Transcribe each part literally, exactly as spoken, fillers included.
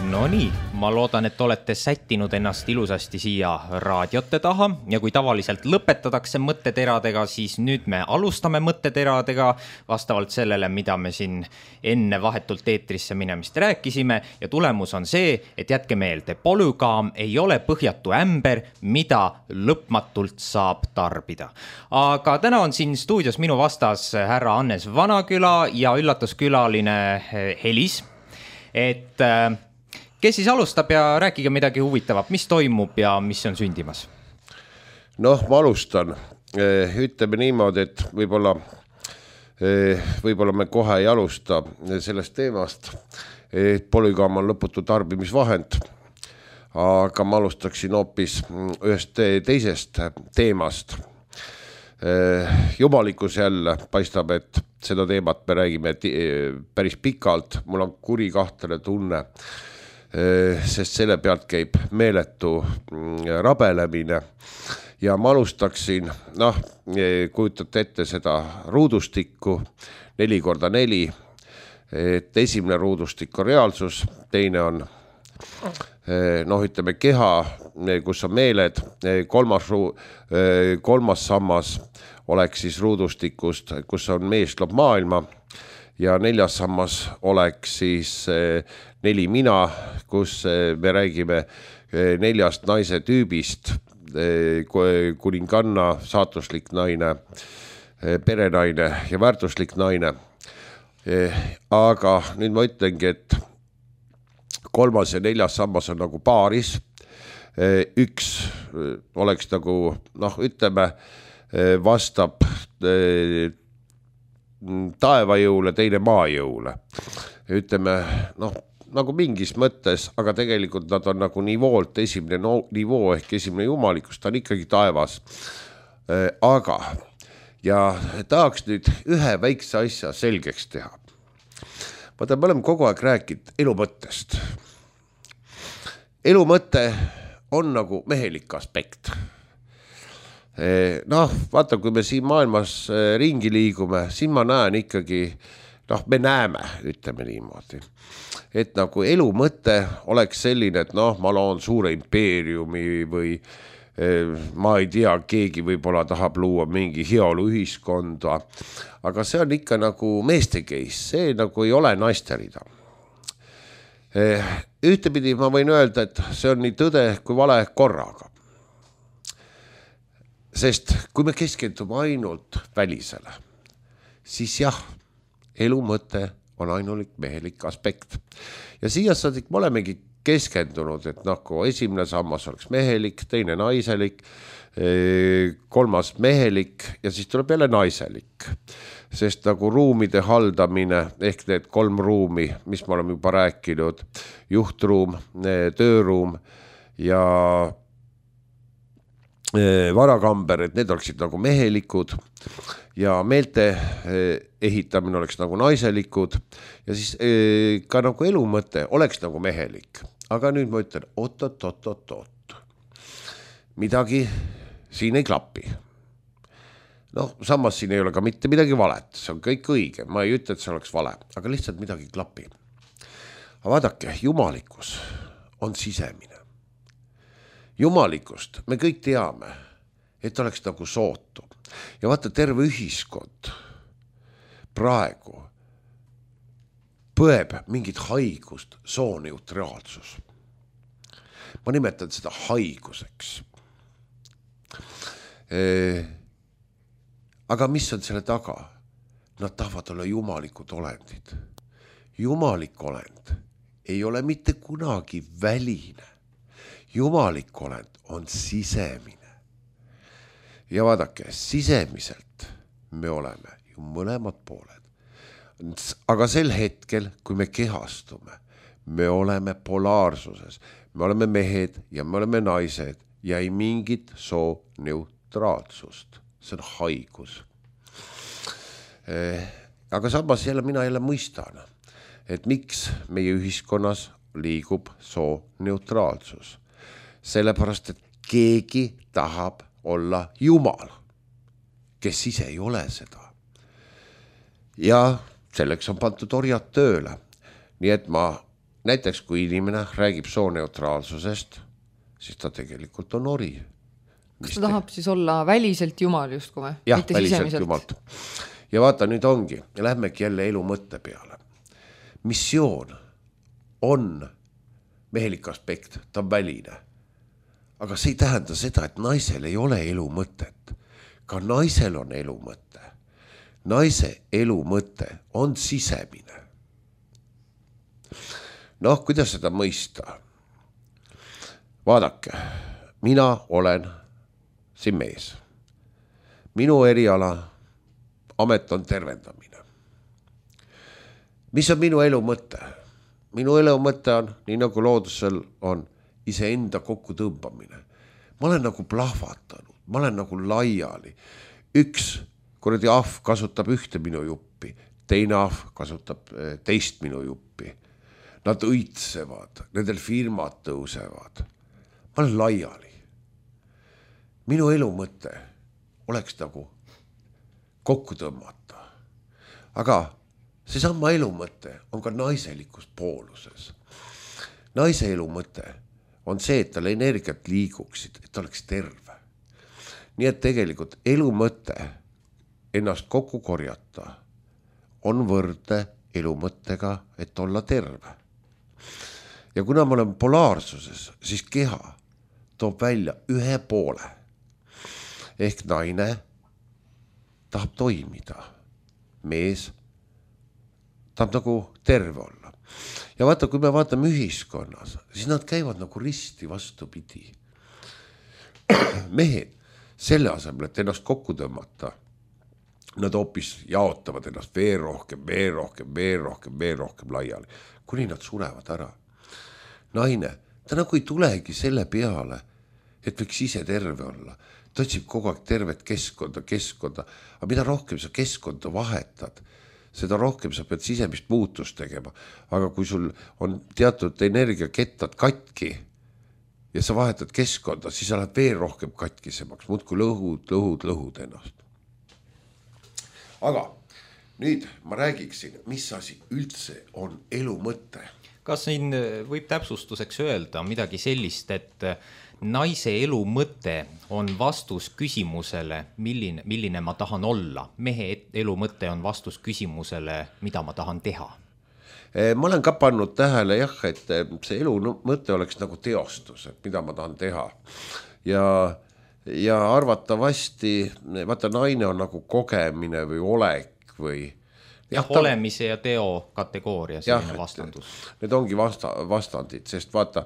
No nii, ma loodan, et olete sättinud ennast ilusasti siia raadiote taha ja kui tavaliselt lõpetatakse mõtteteradega, siis nüüd me alustame mõtteteradega vastavalt sellele, mida me siin enne vahetult eetrisse minemist rääkisime ja tulemus on see, et jätke meelde, polügaam ei ole põhjatu ämber, mida lõpmatult saab tarbida. Aga täna on siin stuudios minu vastas härra Hannes Vanaküla ja üllatuskülaline Helis, et kes siis alustab ja rääkige midagi huvitavat, mis toimub ja mis on sündimas? Noh, ma alustan. Ütleme niimoodi, et võib-olla, võib-olla me kohe ei alusta sellest teemast, et polügaam on lõputu tarbimisvahend, aga ma alustaksin hoopis ühest teisest teemast. Jumalikus jälle paistab, et seda teemat me räägime päris pikalt, mul on kuri kahtlane tunne, sest selle pealt käib meeletu rabelemine ja ma alustaksin, noh, kujutate ette seda ruudustikku, neli korda neli, et esimene ruudustik on reaalsus, teine on, noh, ütleme keha, kus on meeled, kolmas, kolmas sammas oleks siis ruudustikust, kus on mees loob maailma ja neljas sammas oleks siis neli mina, kus me räägime neljast naise tüübist, kuninganna, saatuslik naine, perenaine ja väärtuslik naine. Aga nüüd ma ütlengi, et kolmas ja neljas sammas on nagu paaris. Üks oleks nagu, noh, ütleme, vastab taevajõule, teine maajõule. Ütleme, noh, nagu mingis mõttes, aga tegelikult nad on nagu nivoolt esimene no, nivoo ehk esimene jumalikus, ta on ikkagi taevas. Aga, ja tahaks nüüd ühe väikse asja selgeks teha. Vaata, me oleme kogu aeg rääkinud elu mõttest. Elu mõte on nagu mehelik aspekt. Noh, vaata, kui me siin maailmas ringi liigume, siin ma näen ikkagi, noh, me näeme, ütleme niimoodi, et nagu elu mõte oleks selline, et noh, ma loon suure impeeriumi või ma ei tea, keegi võib-olla tahab luua mingi heaolu ühiskonda, aga see on ikka nagu meeste case, see nagu ei ole naisterida. Ühtepidi ma võin öelda, et see on nii tõde kui vale korraga. Sest kui me keskendume ainult välisele, siis jah, elu mõte on ainulik mehelik aspekt. Ja siia saadik me olemegi keskendunud, et noh, kui esimene sammas oleks mehelik, teine naiselik, kolmas mehelik ja siis tuleb jälle naiselik. Sest nagu ruumide haldamine ehk need kolm ruumi, mis me oleme juba rääkinud, juhtruum, tööruum ja varakamber, et need oleksid nagu mehelikud ja meelte ehitamine oleks nagu naiselikud ja siis ka nagu elu mõte oleks nagu mehelik. Aga nüüd ma ütlen, oot, oot, oot, oot, oot. Midagi siin ei klapi. Noh, samas siin ei ole ka mitte midagi valet, see on kõik õige, ma ei ütle, et see oleks vale, aga lihtsalt midagi klapi. Aga vaadake, jumalikus on sisemine. Jumalikust me kõik teame, et oleks nagu sootu. Ja vaata, terve ühiskond praegu põeb mingit haigust, sooneutraalsus. Ma nimetan seda haiguseks. Aga mis on selle taga? Nad tahavad olla jumalikud olendid. Jumalik olend ei ole mitte kunagi väline. Jumalik olend on sisemine. Ja vaadake, sisemiselt me oleme ju mõlemad pooled. Aga sel hetkel, kui me kehastume, me oleme polaarsuses. Me oleme mehed ja me oleme naised ja ei mingit soo neutraalsust. See on haigus. Aga samas jälle mina jälle mõistan, et miks meie ühiskonnas liigub soo neutraalsus. Sellepärast, et keegi tahab olla Jumal, kes ise ei ole seda. Ja selleks on pandud orjad tööle. Nii et ma näiteks kui inimene räägib sooneutraalsusest, siis ta tegelikult on ori. Kas ta tahab siis olla väliselt jumal justkui või? Jah, väliselt jumalt. Ja vaata, nüüd ongi, lähmegi jälle elu mõtte peale. Missioon on mehelik aspekt, ta on väline. Aga see ei tähenda seda, et naisel ei ole elu mõtet. Ka naisel on elu mõte. Naise elu mõte on sisemine. Noh, kuidas seda mõista? Vaadake, mina olen siin mees. Minu eriala amet on tervendamine. Mis on minu elu mõte? Minu elu mõte on, nii nagu loodusel on, iseenda kokku tõmbamine. Ma olen nagu plahvatanud, ma olen nagu laiali. Üks kuradi ahv kasutab ühte minu juppi, teine ahv kasutab teist minu juppi. Nad õitsevad, nendel firmad tõusevad. Ma olen laiali. Minu elu mõte oleks nagu kokku tõmmata. Aga see sama elu mõte on ka naiselikus pooluses. Naise elu mõte on see, et tal energiat liiguksid, et ta oleks terve. Nii et tegelikult elu mõte ennast kokku korjata on võrdne elu mõttega, et olla terve. Ja kuna ma olen polaarsuses, siis keha toob välja ühe poole. Ehk naine tahab toimida. Mees tahab nagu terve olla. Ja vaata, kui me vaatame ühiskonnas, siis nad käivad nagu risti vastupidi. Mehed selle asemel, et ennast kokku tõmmata, nad hoopis jaotavad ennast veel rohkem, veel rohkem, veel rohkem, veel rohkem laiali, kuni nad surevad ära. Naine, ta nagu ei tulegi selle peale, et võiks ise terve olla. Ta otsib kogu aeg tervet keskkonda, keskkonda, aga mida rohkem sa keskkonda vahetad, seda rohkem sa pead sisemist muutust tegema. Aga kui sul on teatud energiakettad katki ja sa vahetad keskkonda, siis sa lähed veel rohkem katkisemaks, muudkui lõhud, lõhud, lõhud ennast. Aga nüüd ma räägiksin, mis asi üldse on elu mõte. Kas siin võib täpsustuseks öelda midagi sellist, et naise elu mõte on vastus küsimusele, milline, milline ma tahan olla. Mehe elu mõte on vastus küsimusele, mida ma tahan teha. Ma olen ka pannud tähele, jah, et see elu mõte oleks nagu teostus, et mida ma tahan teha. Ja, ja arvatavasti, vaata, naine on nagu kogemine või olek või jah, ta... olemise ja teo kategooria, selline jah, vastandus. Need ongi vasta, vastandid, sest vaata,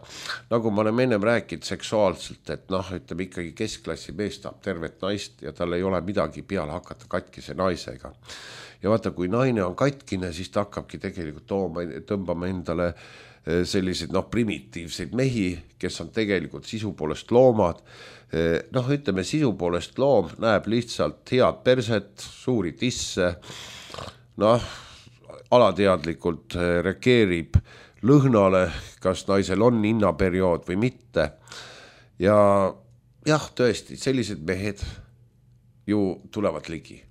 nagu ma olen ennem rääkinud seksuaalselt, et noh, ütleme ikkagi keskklassi mees tahab tervet naist ja tal ei ole midagi peale hakata katkise naisega. Ja vaata, kui naine on katkine, siis ta hakkabki tegelikult tooma, tõmbama endale selliseid noh, primitiivseid mehi, kes on tegelikult sisu poolest loomad. Noh, ütleme, sisu poolest loom näeb lihtsalt head perset, suuri tisse, noh, alateadlikult reageerib lõhnale, kas naisel on innaperiood või mitte. Ja jah, tõesti, sellised mehed ju tulevad ligi.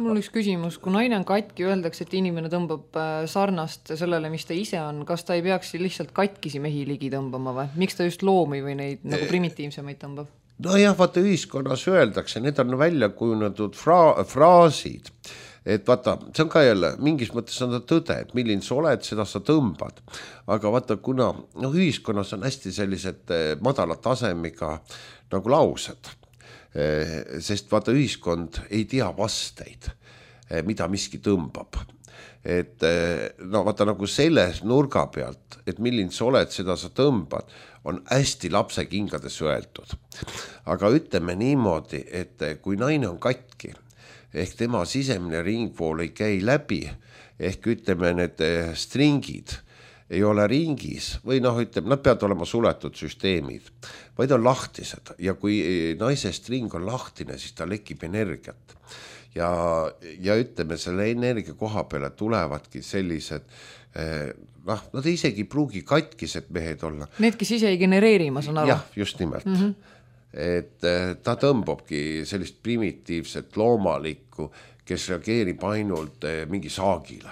Mul üks küsimus, kui naine on katki, öeldakse, et inimene tõmbab sarnast sellele, mis ta ise on. Kas ta ei peaks lihtsalt katkisi mehi ligi tõmbama või? Miks ta just loomi või neid nagu primitiivsemaid tõmbab? No jah, vaata ühiskonnas öeldakse, need on välja kujunetud fra- fraasid. Et vaata, see on ka jälle, mingis mõttes on ta tõde, et milline sa oled, seda sa tõmbad. Aga vaata, kuna no, ühiskonnas on hästi sellised madala tasemiga nagu laused, sest vaata, ühiskond ei tea vasteid, mida miski tõmbab. Et no vaata nagu selles nurga pealt, et milline sa oled, seda sa tõmbad, on hästi lapse kingades öeldud. Aga ütleme niimoodi, et kui naine on katki, ehk tema sisemine ringpool ei käi läbi, ehk ütleme, need stringid ei ole ringis või noh, ütleme, nad peavad olema suletud süsteemid, vaid on lahtised ja kui naise string on lahtine, siis ta lekib energiat ja, ja ütleme, selle energia koha peale tulevadki sellised noh, nad isegi pruugi katkised mehed olla. Need, kes ise ei genereeri, ma saan aru. Jah, just nimelt. Mm-hmm. Et ta tõmbabki sellist primitiivset loomalikku, kes reageerib ainult mingi saagile.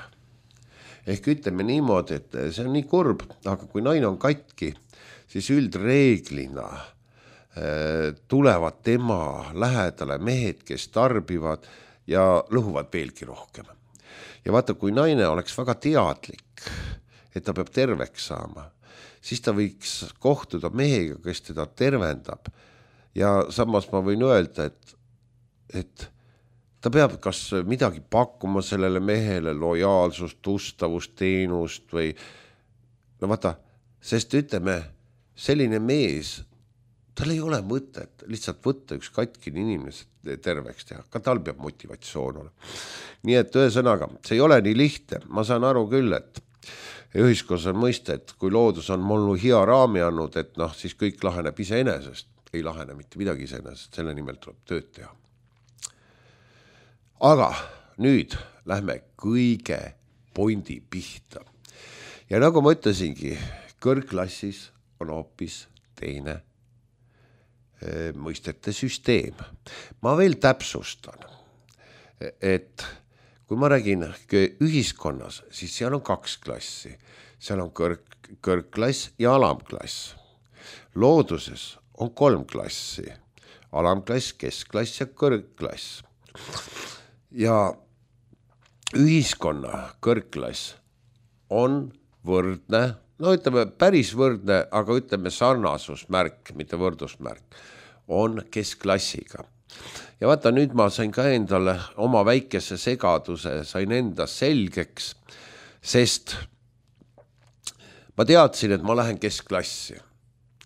ehk ütleme niimoodi, et see on nii kurb, aga kui naine on katki, siis üldreeglina äh, tulevad tema lähedale mehed, kes tarbivad ja lõhuvad veelgi rohkem. Ja vaata, kui naine oleks väga teadlik, et ta peab terveks saama, siis ta võiks kohtuda mehega, kes teda tervendab. Ja samas ma võin öelda, et, et ta peab kas midagi pakkuma sellele mehele, lojaalsust, ustavust, teenust või no vaata, sest ütleme, selline mees, tal ei ole mõtet lihtsalt võtta üks katkine inimene terveks teha, ka tal peab motivatsioon olema. Nii et ühesõnaga, see ei ole nii lihtne, ma saan aru küll, et ühiskonnas on mõiste, et kui loodus on mullu hea raami andnud, et noh, siis kõik laheneb iseenesest, ei lahene mitte midagi iseenesest, selle nimel tuleb tööd teha. Aga nüüd lähme kõige pointi pihta. Ja nagu ma ütlesingi, kõrgklassis on hoopis teine e, mõistete süsteem. Ma veel täpsustan, et kui ma räägin ühiskonnas, siis seal on kaks klassi. Seal on kõrg, kõrgklass ja alamklass. Looduses on kolm klassi. Alamklass, keskklass ja kõrgklass. Ja ühiskonna kõrgklass on võrdne, no ütleme päris võrdne, aga ütleme sarnasusmärk, mitte võrdusmärk, on keskklassiga. Ja vaata, nüüd ma sain ka endale oma väikese segaduse, sain enda selgeks, sest ma teadsin, et ma lähen keskklassi.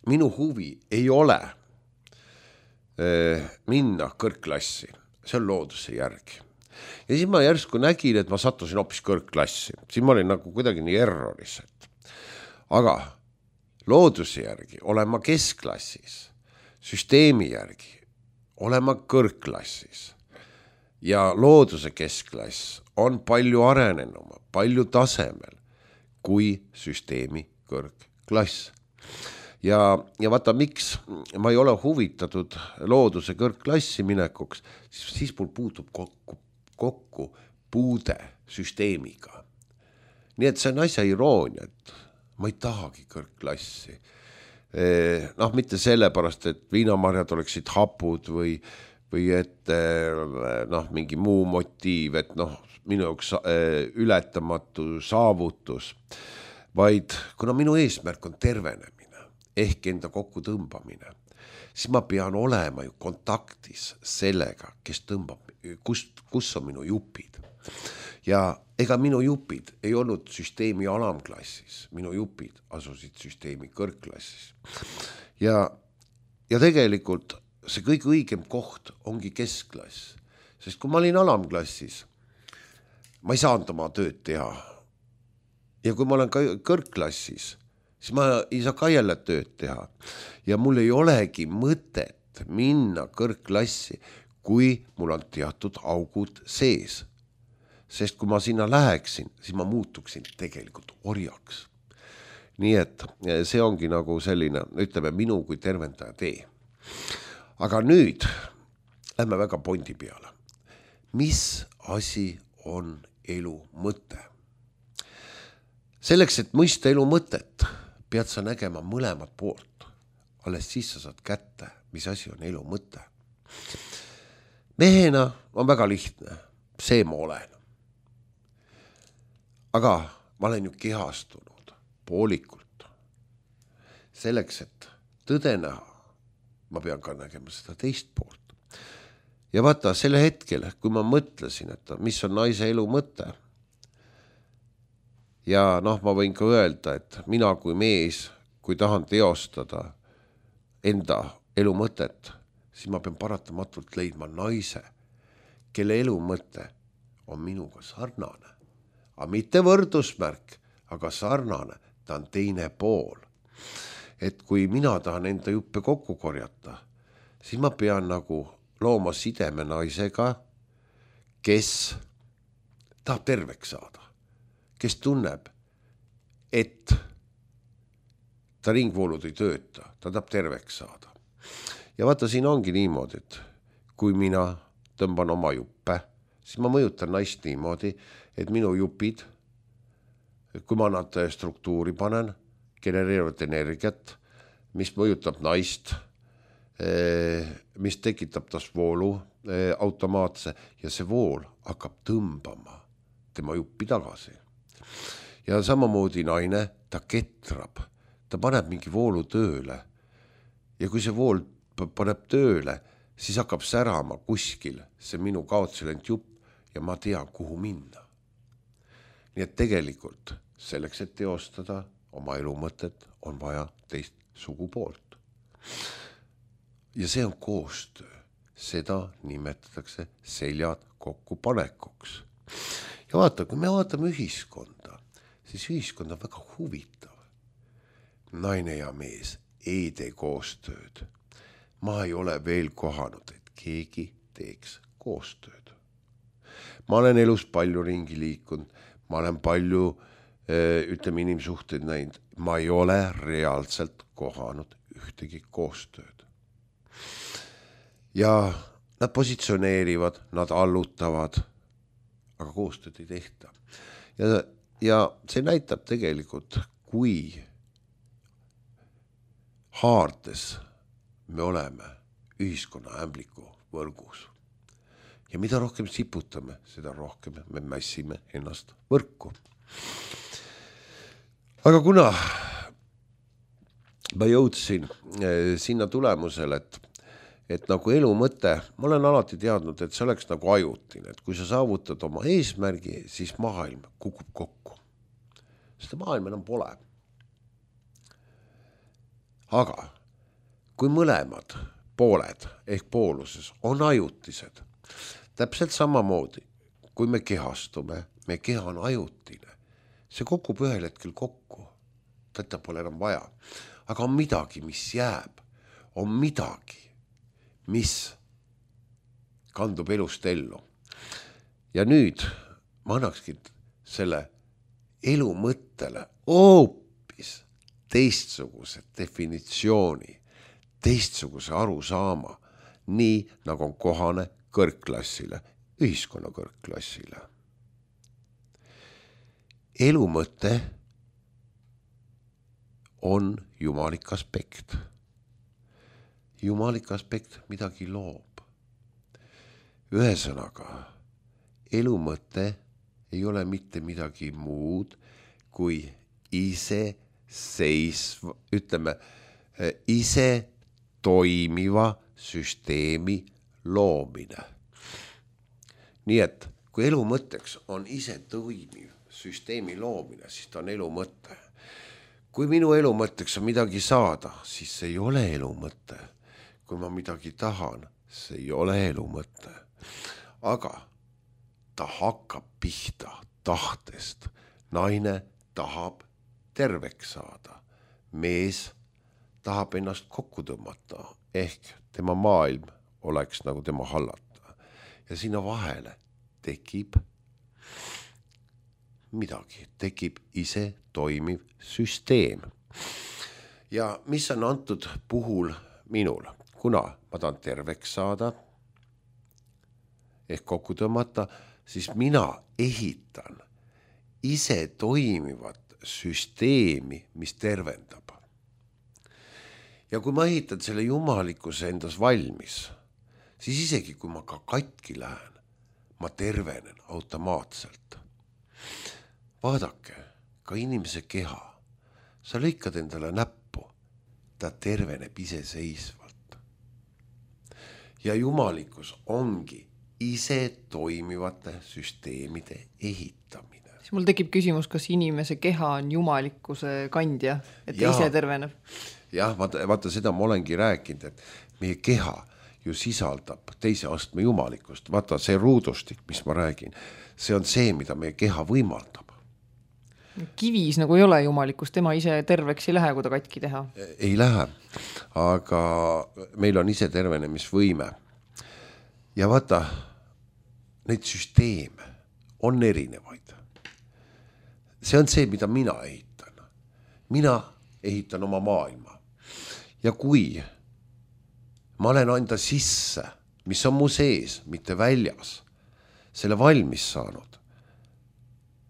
Minu huvi ei ole äh, minna kõrgklassi, see on looduse järgi. Ja siis ma järsku nägin, et ma sattusin hoopis kõrgklassi. Siin ma olin nagu kuidagi nii erroris. Aga looduse järgi olen ma keskklassis, süsteemi järgi olen ma kõrgklassis. Ja looduse keskklass on palju arenenuma, palju tasemel kui süsteemi kõrgklass. Ja, ja vaata, miks ma ei ole huvitatud looduse kõrgklassi minekuks, siis, siis mul puutub kokku, kokku puude süsteemiga. Nii et see on asja iroonia, et ma ei tahagi kõrgklassi. E, noh, mitte sellepärast, et viinamarjad oleksid hapud või, või et noh, mingi muu motiiv, et noh, minu jaoks ületamatu saavutus, vaid kuna minu eesmärk on tervenemine, ehk enda kokku tõmbamine, siis ma pean olema ju kontaktis sellega, kes tõmbab, kus, kus on minu jupid. Ja ega minu jupid ei olnud süsteemi alamklassis, minu jupid asusid süsteemi kõrgklassis. Ja, ja tegelikult see kõige õigem koht ongi keskklass, sest kui ma olin alamklassis, ma ei saanud oma tööd teha. Ja kui ma olen kõrgklassis, siis ma ei saa ka jälle tööd teha. Ja mul ei olegi mõtet minna kõrgklassi, kui mul on teatud augud sees. Sest kui ma sinna läheksin, siis ma muutuksin tegelikult orjaks. Nii et see ongi nagu selline, ütleme, minu kui tervendaja tee. Aga nüüd lähme väga pointi peale. Mis asi on elu mõte? Selleks, et mõista elu mõtet, pead sa nägema mõlemat poolt. Alles siis sa saad kätte, mis asi on elu mõte. Mehena on väga lihtne, see ma olen. Aga ma olen ju kehastunud poolikult. Selleks, et tõde näha, ma pean ka nägema seda teist poolt. Ja vaata, selle hetkel, kui ma mõtlesin, et mis on naise elu mõte, ja noh, ma võin ka öelda, et mina kui mees, kui tahan teostada enda elu mõtet, siis ma pean paratamatult leidma naise, kelle elu mõte on minuga sarnane. Aga mitte võrdusmärk, aga sarnane, ta on teine pool. Et kui mina tahan enda juppe kokku korjata, siis ma pean nagu looma sideme naisega, kes tahab terveks saada. Kes tunneb, et ta ringvoolud ei tööta, ta tahab terveks saada. Ja vaata, siin ongi niimoodi, et kui mina tõmban oma juppe, siis ma mõjutan naist niimoodi, et minu jupid kui ma nad struktuuri panen, genereerivad energiat, mis mõjutab naist, mis tekitab tas voolu automaatse ja see vool hakkab tõmbama tema juppi tagasi. Ja samamoodi naine, ta ketrab, ta paneb mingi voolu tööle ja kui see vool paneb tööle, siis hakkab särama kuskil see minu kaotsi läinud jupp ja ma tean, kuhu minna. Nii et tegelikult selleks, et teostada oma elumõtet, on vaja teist sugupoolt. Ja see on koostöö. Seda nimetatakse seljad kokku panekuks. Ja vaata, kui me vaatame ühiskonda, siis ühiskond on väga huvitav. Naine ja mees ei tee koostööd. Ma ei ole veel kohanud, et keegi teeks koostööd. Ma olen elus palju ringi liikunud, ma olen palju, ütleme, inimsuhteid näinud. Ma ei ole reaalselt kohanud ühtegi koostööd. Ja nad positsioneerivad, nad allutavad, aga koostööd ei tehta. Ja, ja see näitab tegelikult, kui haardes me oleme ühiskonna ämbliku võrgus. Ja mida rohkem siputame, seda rohkem me mässime ennast võrku. Aga kuna ma jõudsin sinna tulemusele, et et nagu elu mõte, ma olen alati teadnud, et see oleks nagu ajutine, et kui sa saavutad oma eesmärgi, siis maailm kukub kokku. Seda maailm enam pole. Aga kui mõlemad pooled ehk pooluses on ajutised, täpselt samamoodi, kui me kehastume, me keha on ajutine, see kukub ühel hetkel kokku, teda pole enam vaja. Aga on midagi, mis jääb, on midagi, mis kandub elust ellu. Ja nüüd ma annakski selle elu mõttele hoopis teistsuguse definitsiooni, teistsuguse arusaama, nii nagu on kohane kõrgklassile, ühiskonna kõrgklassile. Elu mõte on jumalik aspekt. Jumalik aspekt midagi loob. Ühesõnaga, elu mõte ei ole mitte midagi muud kui ise seisva, ütleme, ise toimiva süsteemi loomine. Nii et kui elu mõtteks on ise toimiv süsteemi loomine, siis ta on elu mõte. Kui minu elu mõtteks on midagi saada, siis see ei ole elu mõte. Kui ma midagi tahan, see ei ole elu mõte. Aga ta hakkab pihta tahtest. Naine tahab terveks saada. Mees tahab ennast kokku tõmmata, ehk tema maailm oleks nagu tema hallata. Ja sinna vahele tekib midagi, tekib ise toimiv süsteem. Ja mis on antud puhul minul? Kuna ma tahan terveks saada, ehk kokku tõmmata, siis mina ehitan ise toimivat süsteemi, mis tervendab. Ja kui ma ehitan selle jumalikkuse endas valmis, siis isegi kui ma ka katki lähen, ma tervenen automaatselt. Vaadake, ka inimese keha, sa lõikad endale näppu, ta terveneb iseseisvalt. Ja jumalikkus ongi ise toimivate süsteemide ehitamine. Siis mul tekib küsimus, kas inimese keha on jumalikkuse kandja, et ja, ise terveneb? Jah, vaata, vaata seda ma olengi rääkinud, et meie keha ju sisaldab teise astme jumalikkust. Vaata see ruudustik, mis ma räägin, see on see, mida meie keha võimaldab. Kivis nagu ei ole jumalikkust, tema ise terveks ei lähe, kui ta katki teha. Ei lähe, aga meil on ise tervenemisvõime. Ja vaata, neid süsteeme on erinevaid. See on see, mida mina ehitan. Mina ehitan oma maailma. Ja kui ma olen anda sisse, mis on mu sees, mitte väljas, selle valmis saanud,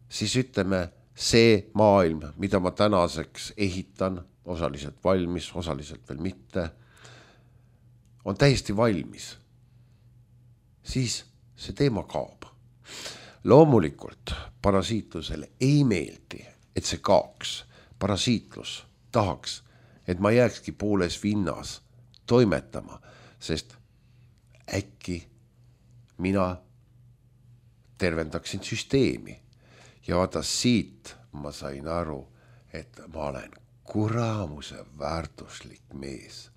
siis ütleme, see maailm, mida ma tänaseks ehitan, osaliselt valmis, osaliselt veel mitte, on täiesti valmis, siis see teema kaob. Loomulikult parasiitlusele ei meeldi, et see kaoks. Parasiitlus tahaks, et ma jääkski pooles vinnas toimetama, sest äkki mina tervendaksin süsteemi. Ja vaata siit ma sain aru, et ma olen kuramuse väärtuslik mees.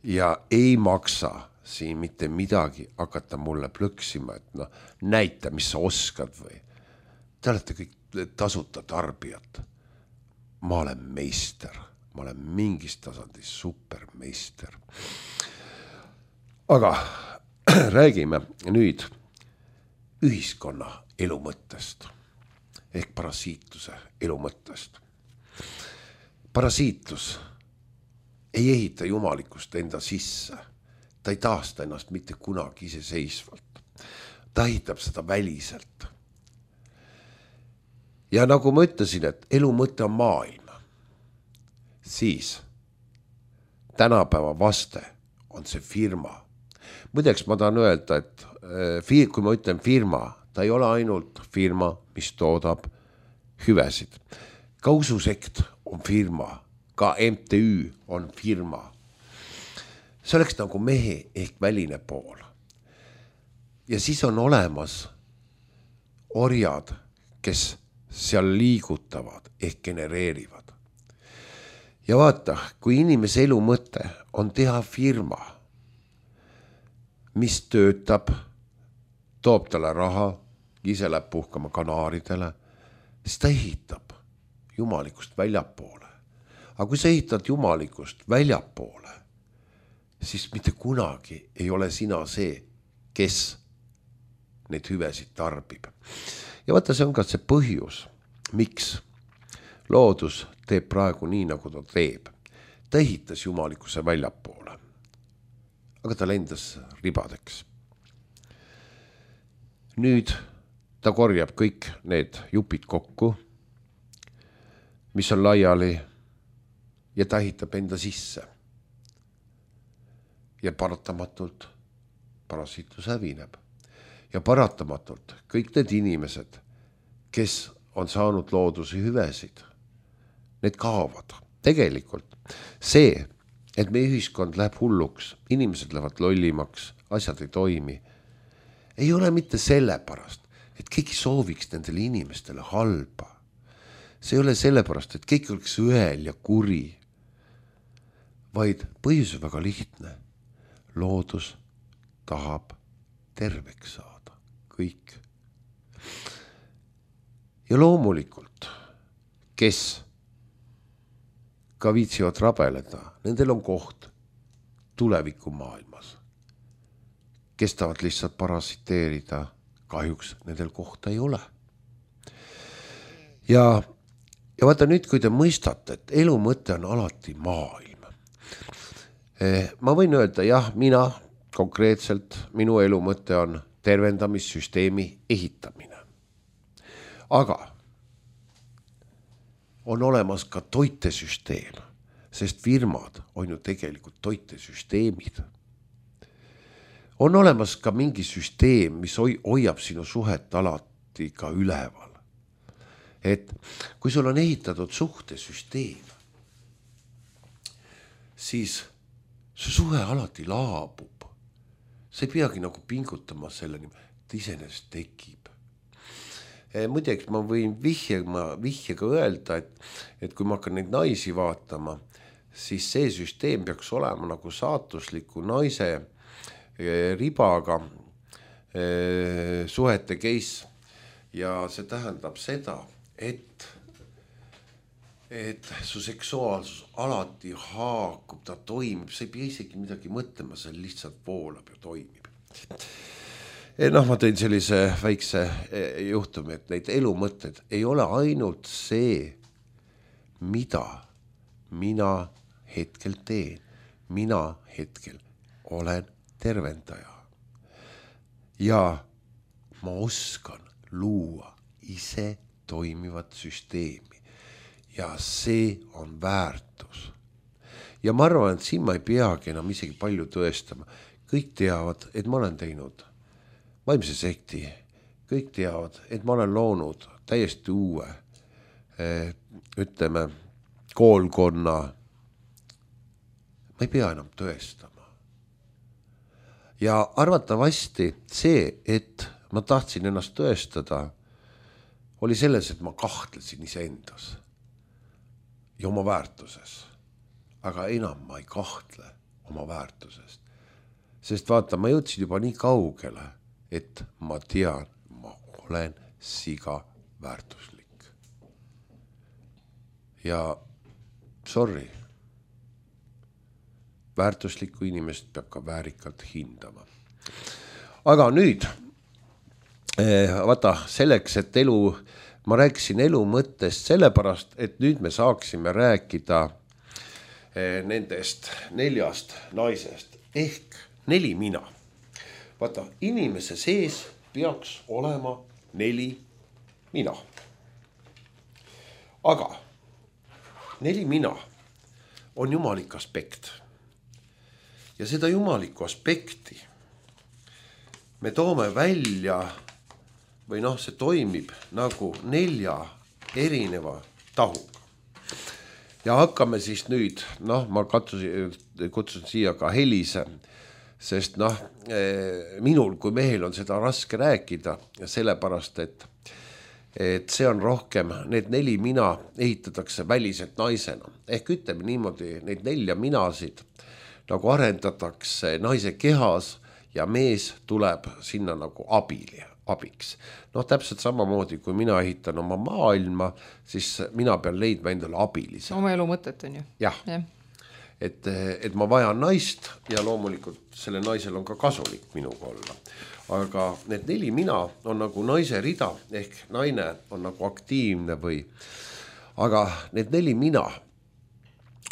Ja ei maksa siin mitte midagi hakata mulle plõksima, et no näita, mis sa oskad või. Te olete kõik tasuta tarbijad. Ma olen meister. Ma olen mingis tasandis supermeister. Aga räägime nüüd ühiskonna elu mõttest ehk parasiitluse elu mõttest. Parasiitlus ei ehita jumalikust enda sisse. Ta ei taasta ennast mitte kunagi iseseisvalt. Ta ehitab seda väliselt. Ja nagu ma ütlesin, et elu mõte on maailm, siis tänapäeva vaste on see firma. Muideks ma tahan öelda, et kui ma ütlen firma, ta ei ole ainult firma, mis toodab hüvesid. Ka ususekt on firma, ka M T Ü on firma. See oleks nagu mehe ehk väline pool. Ja siis on olemas orjad, kes seal liigutavad ehk genereerivad. Ja vaata, kui inimese elu mõte on teha firma, mis töötab, toob talle raha, ise läheb puhkama kanaaridele, siis ta ehitab jumalikust väljapoole. Aga kui sa ehitad jumalikust väljapoole, siis mitte kunagi ei ole sina see, kes neid hüvesid tarbib. Ja vaata, see on ka see põhjus, miks loodus teeb praegu nii, nagu ta teeb. Ta ehitas jumalikuse väljapoole, aga ta lendas ribadeks. Nüüd ta korjab kõik need jupid kokku, mis on laiali, ja ta ehitab enda sisse. Ja paratamatult parasiitlus hävineb. Ja paratamatult kõik need inimesed, kes on saanud looduse hüvesid, need kaovad. Tegelikult see, et meie ühiskond läheb hulluks, inimesed lähevad lollimaks, asjad ei toimi, ei ole mitte sellepärast, et keegi sooviks nendele inimestele halba. See ei ole sellepärast, et keegi oleks õel ja kuri, vaid põhjus on väga lihtne. Loodus tahab terveks saada. Kõik. Ja loomulikult, kes ka viitsivad rabeleda, nendel on koht tulevikumaailmas. Kes tahavad lihtsalt parasiteerida, kahjuks nendel kohta ei ole. Ja, ja vaata nüüd, kui te mõistate, et elu mõte on alati maailm. Ma võin öelda, jah, mina konkreetselt, minu elu mõte on tervendamissüsteemi ehitamine. Aga on olemas ka toitesüsteem, sest firmad on ju tegelikult toitesüsteemid. On olemas ka mingi süsteem, mis hoiab sinu suhet alati ka üleval. Et kui sul on ehitatud suhtesüsteem, siis see suhe alati laabub. See ei peagi nagu pingutama selle nimel, et iseenesest tekib. Muideks ma võin vihjega, vihjega öelda, et, et kui ma hakkan neid naisi vaatama, siis see süsteem peaks olema nagu saatusliku naise ribaga suhete case. Ja see tähendab seda, et, et su seksuaalsus alati haakub, ta toimib, sa ei pea isegi midagi mõtlema, see lihtsalt voolab ja toimib. Noh, ma tõin sellise väikse juhtumi, et neid elumõtted ei ole ainult see, mida mina hetkel teen. Mina hetkel olen tervendaja. Ja ma oskan luua ise toimivat süsteemi ja see on väärtus. Ja ma arvan, et siin ma ei peagi enam isegi palju tõestama. Kõik teavad, et ma olen teinud vaimse sekti. Kõik teavad, et ma olen loonud täiesti uue, ütleme, koolkonna. Ma ei pea enam tõestama. Ja arvatavasti see, et ma tahtsin ennast tõestada, oli selles, et ma kahtlesin iseendas ja oma väärtuses. Aga enam ma ei kahtle oma väärtusest. Sest vaata, ma jõudsin juba nii kaugele, et ma tean, ma olen siga väärtuslik. Ja sorry, väärtuslikku inimest peab ka väärikalt hindama. Aga nüüd, vaata, selleks, et elu, ma rääkisin elu mõttest sellepärast, et nüüd me saaksime rääkida nendest neljast naisest ehk neli mina. Vaata, inimese sees peaks olema neli mina. Aga neli mina on jumalik aspekt. Ja seda jumalikku aspekti me toome välja või noh, see toimib nagu nelja erineva tahuga. Ja hakkame siis nüüd, noh, ma katsusin, kutsun siia ka Helise, sest noh, minul kui mehel on seda raske rääkida ja sellepärast, et, et see on rohkem, need neli mina ehitatakse väliselt naisena. Ehk ütleme niimoodi, neid nelja minasid nagu arendatakse naise kehas ja mees tuleb sinna nagu abili. abiks. Noh, täpselt samamoodi, kui mina ehitan oma maailma, siis mina pean leidma endale abilise. Oma elu mõtet on ju. Jah, ja. et, et ma vajan naist ja loomulikult selle naisel on ka kasulik minuga olla. Aga need neli mina on nagu naise rida, ehk naine on nagu aktiivne või, aga need neli mina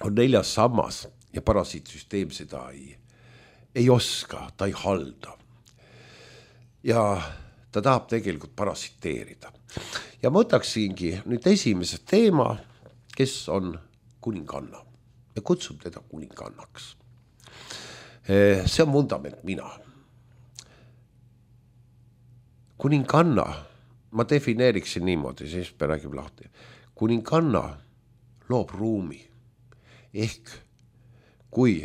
on neljas sammas ja parasiitsüsteem seda ei, ei oska, ta ei halda. Ja ta tahab tegelikult parasiteerida. Ja ma võtaksingi nüüd esimese teema, kes on kuninganna ja kutsub teda kuningannaks. See on vundament mina. Kuninganna, ma defineeriksin niimoodi, siis me räägime lahti. Kuninganna loob ruumi. Ehk kui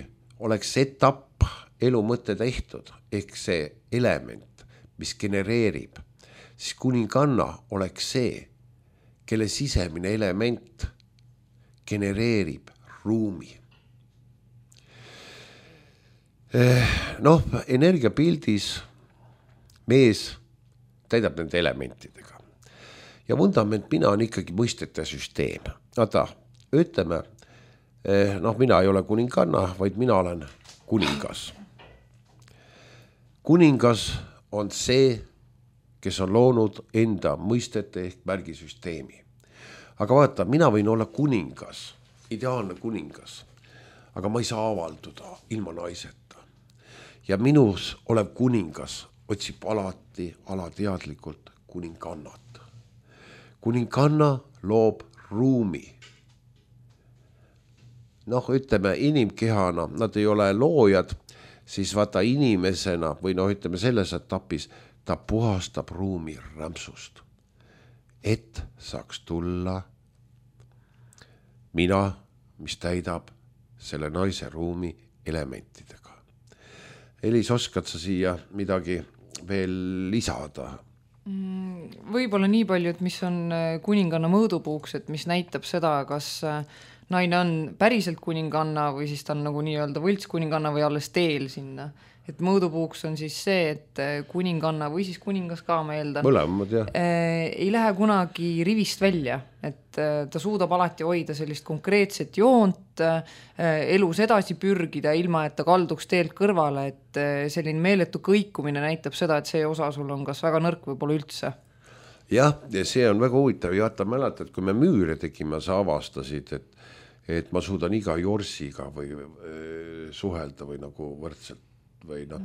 oleks etapp elu mõtte tehtud, ehk see element, mis genereerib, siis kuninganna oleks see, kelle sisemine element genereerib ruumi. Noh, energiapildis mees täidab nende elementidega. Ja vundament mina on ikkagi mõistete süsteem. Vaata, ütleme, noh, mina ei ole kuninganna, vaid mina olen kuningas. Kuningas on see, kes on loonud enda mõistete ehk märgisüsteemi. Aga vaata, mina võin olla kuningas, ideaalne kuningas, aga ma ei saa avalduda ilma naiseta. Ja minus olev kuningas otsib alati alateadlikult kuningannat. Kuninganna loob ruumi. Noh, ütleme, inimkehana, nad ei ole loojad, siis vaata inimesena või noh, ütleme selles etapis, ta puhastab ruumi rämpsust, et saaks tulla mina, mis täidab selle naise ruumi elementidega. Elis, oskad sa siia midagi veel lisada? Võib-olla nii palju, et mis on kuninganna mõõdupuuks, et mis näitab seda, kas naine on päriselt kuninganna või siis ta on nagu nii-öelda võlts kuninganna või alles teel sinna. Et mõõdupuuks on siis see, et kuninganna või siis kuningas ka, ma eeldan, mõlemad, jah. ei lähe kunagi rivist välja, et ta suudab alati hoida sellist konkreetset joont, elus edasi pürgida, ilma et ta kalduks teelt kõrvale, et selline meeletu kõikumine näitab seda, et see osa sul on kas väga nõrk või pole üldse. Jah, ja see on väga huvitav. Ja ta mäletad, kui me müüre tegime, sa avastasid, et, et ma suudan iga jorsiga või suhelda või nagu võrdselt, või noh?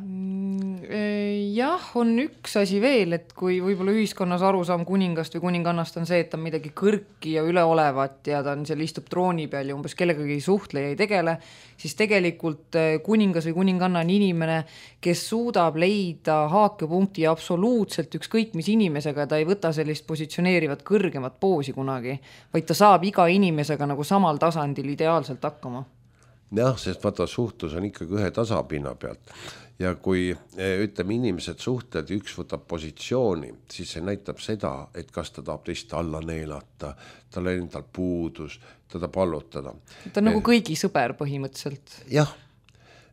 Jah, on üks asi veel, et kui võib-olla ühiskonnas arusaam kuningast või kuningannast on see, et ta on midagi kõrki ja üleolevat ja ta on seal istub trooni peal ja umbes kellegagi ei suhtle ja ei tegele, siis tegelikult kuningas või kuninganna on inimene, kes suudab leida haakepunkti absoluutselt ükskõik mis inimesega, ta ei võta sellist positsioneerivat kõrgemat poosi kunagi, vaid ta saab iga inimesega nagu samal tasandil ideaalselt hakkama. Jah, sest vaata suhtlus on ikkagi ühe tasapinna pealt ja kui ütleme inimesed suhtled ja üks võtab positsiooni, siis see näitab seda, et kas ta tahab teist alla neelata, tal endal puudus, teda pallutada. Ta on nagu kõigi sõber põhimõtteliselt. Jah,